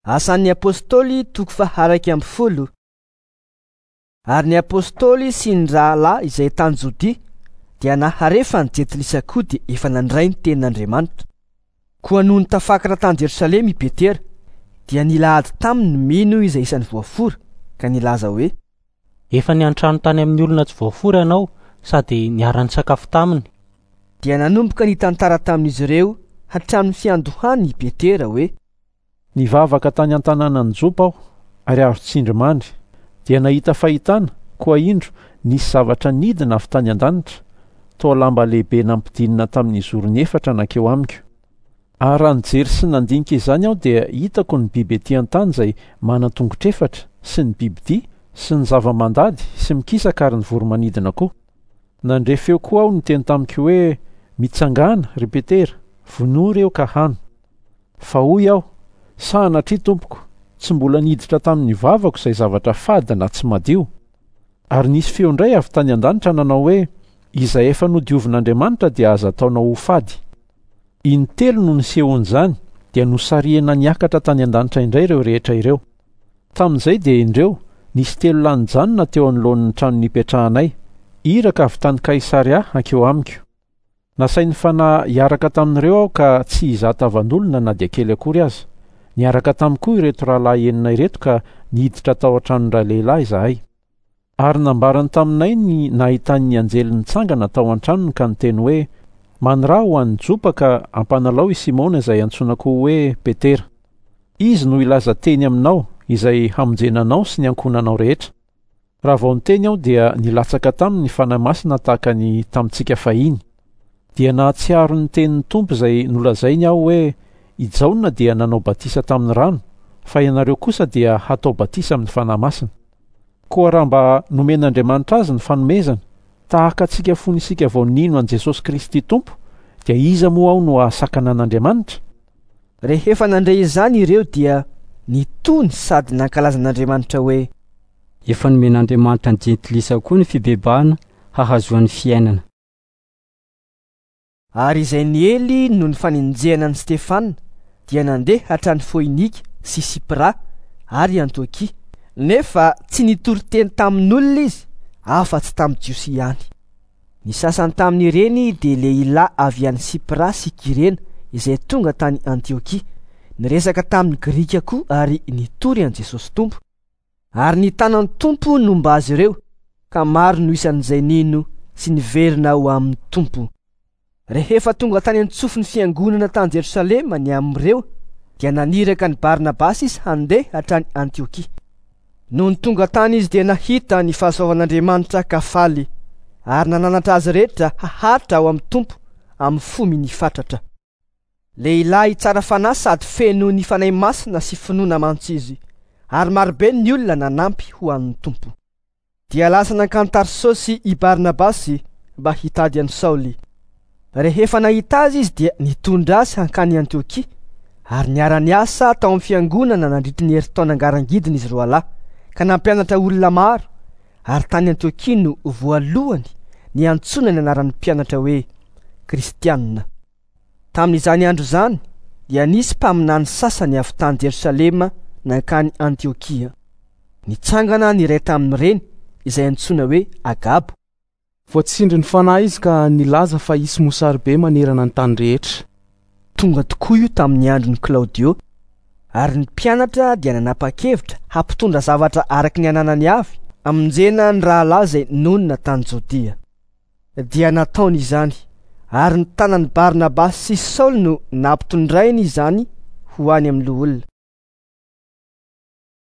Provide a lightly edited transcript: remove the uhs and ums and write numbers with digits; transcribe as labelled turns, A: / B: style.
A: Asan'ny Apostoly toko faha-11. Ary ny Apostoly sy ny rahalahy izay tany Jodia dia nahare fa ny Jentilisa koa dia efa nandray ny tenin'Andriamanitra. Koa nony tafakatra tany Jerosalema i Petera, dia nila ady taminy ny mino izay isan'ny voafora, ka nilaza hoe:
B: Efa niantrano tany amin'ny olona tsy voafora ianao sady niara-nisakafo taminy.
A: Dia nanomboka nitantara tamin'izy ireo hatramin'ny fiandohany i Petera hoe:
C: Nivavaka tany an-tanànan'i Jopa aho, ary azo tsindrimandry. Dia nahita fahitana, koa indro, nisy zavatra nidina avy tany an-danitra, toa lamba lehibe nampidinina tamin'ny zorony efatra nankeo amiko. Ary raha nijery sy nandinika izany aho dia hitako ny biby ety an-tany izay manan-tongotr'efatra, sy ny bibidia, sy ny zava-mandady, sy mikisaka ary ny voro-manidina koa. Nandre feo koa aho niteny tamiko hoe, Mitsangàna, ry Petera, vonoa ireo ka hano. Fa hoy aho, Sanatria, tompoko, tsy mbola niditra tamin'ny vavako izay zavatra fady na tsy madio. Ary nisy feo indray avy tany an-danitra nanao hoe, Izay efa nodiovin'Andriamanitra dia aza ataonao ho fady. Intelo no nisehoan'izany, dia nosarihina niakatra tany an-danitra indray ireo rehetra ireo. Tamin'izay dia indreo, nisy telo lahy nijanona teo anoloan'ny trano nipetrahanay, iraka avy tany Kaisaria hankeo amiko. Nasain'ny Fanahy hiaraka tamin'ireo aho ka tsy hizaha tavan'olona na dia kely akory aza. Niaraka tamiko koa ireto rahalahy enina ireto ka niditra tao an-tranon-dralehilahy izahay. Ary nambarany taminay ny nahitany ny anjely nitsangana tao an-tranony ka niteny hoe, Maniraha ho any Jopa ka ampanalao i Simona izay antsoina koa hoe Petera. Izy no hilaza teny aminao izay hamonjena anao sy ny ankohonanao rehetra. Raha vao niteny aho dia nilatsaka taminy ny Fanahy Masina tahaka ny tamintsika fahiny. Dia nahatsiaro ny tenin'ny Tompo izay nolazainy aho hoe, I Jaona dia nanao batisa tamin'ny rano, fa ianareo kosa dia hatao batisa amin'ny Fanahy Masina. Koa raha mba nomen'Andriamanitra azy ny fanomezana, tahaka antsika fony isika vao nino an'i Jesosy Kristy Tompo, dia iza moa aho no hahasakana an'Andriamanitra?
A: Rehefa nandre izany ireo dia nitony sady nankalaza an'Andriamanitra hoe.
D: Efa nomen'Andriamanitra ny jentilisa koa ny fibebahana hahazoany fiainana.
A: Ary izay niely noho ny fanenjehana an'i Stefana dia nandeha hatrany Foinika sy Sipra ary Antiokia, nefa tsy nitory teny tamin'olona izy afa-tsy tamin'ny Jiosy ihany. Ny sasany tamin'ireny dia lehilahy avy any Sipra sy Kyrena izay tonga tany Antiokia, niresaka tamin'ny Grika koa ary nitory an'i Jesosy Tompo. Ary ny tanan'ny Tompo nomba azy ireo, ka maro no isan'izay nino sy niverina ho amin'ny Tompo. Rehefa tonga tany an-tsofin'ny fiangonana tany Jerosalema ny amin'ireo, dia naniraka an'i Barnabasy izy handeha hatrany Antiokia. Nony tonga tany izy dia nahita ny fahasoavan'Andriamanitra ka faly, ary nananatra azy rehetra haharitra ao amin'ny Tompo amin'ny fo minifatratra. Lehilahy tsara fanahy sady feno ny Fanahy Masina sy finoana mantsy izy, ary marobe ny olona nanampy ho an'ny Tompo. Dia lasa nankany Tarsosy i Barnabasy mba hitady an'i Saoly. Rehefa nahita azy izy dia nitondra azy hankany Antiokia, ary niara-niasa tao amin'ny fiangonana nandritry ny herintaona ngarangidina izy roalahy, ka nampianatra olona maro, ary tany Antiokia no voalohany niantsoana ny anaran'ny mpianatra hoe Kristianina. Tamin'izany andro izany dia nisy mpaminany sasany avy tany Jerosalema nankany Antiokia. Nitsangana ny iray tamin'ireny, izay antsoina hoe Agabo.
E: Voatsindrin'ny Fanahy izy ka nilaza fa hisy mosary be manerana ny tany rehetra.
A: Tonga tokoa io tamin'ny andron'i Klaodio, ary ny mpianatra dia nanapa-kevitra hampitondra zavatra araka ny ananany avy hamonjena ny rahalahy izay nonina tany Jodia. Dia nataony izany, ary ny tanan'i Barnabasy sy Saoly no nampitondrainy izany ho any amin'ny loholona.